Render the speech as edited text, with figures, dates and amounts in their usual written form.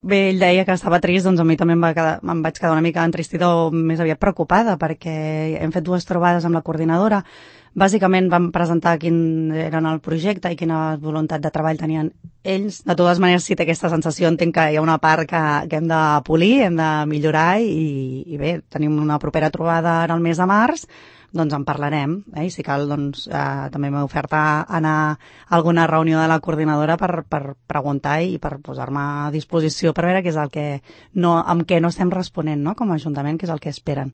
bé, ell deia que estava trist, doncs a mi també em vaig quedar una mica entristida o més aviat preocupada, perquè hem fet 2 trobades amb la coordinadora. Bàsicament vam presentar quin era el projecte i quina voluntat de treball tenien ells. De totes maneres, si té aquesta sensació, entenc que hi ha una part que hem de polir, hem de millorar i bé, tenim una propera trobada ara al mes de març, doncs en parlarem, i si cal doncs, també m'he ofert a anar a alguna reunió de la coordinadora per preguntar i per posar-me a disposició per veure què és el que no, amb què no estem responent, no?, com a Ajuntament, què és el que esperen.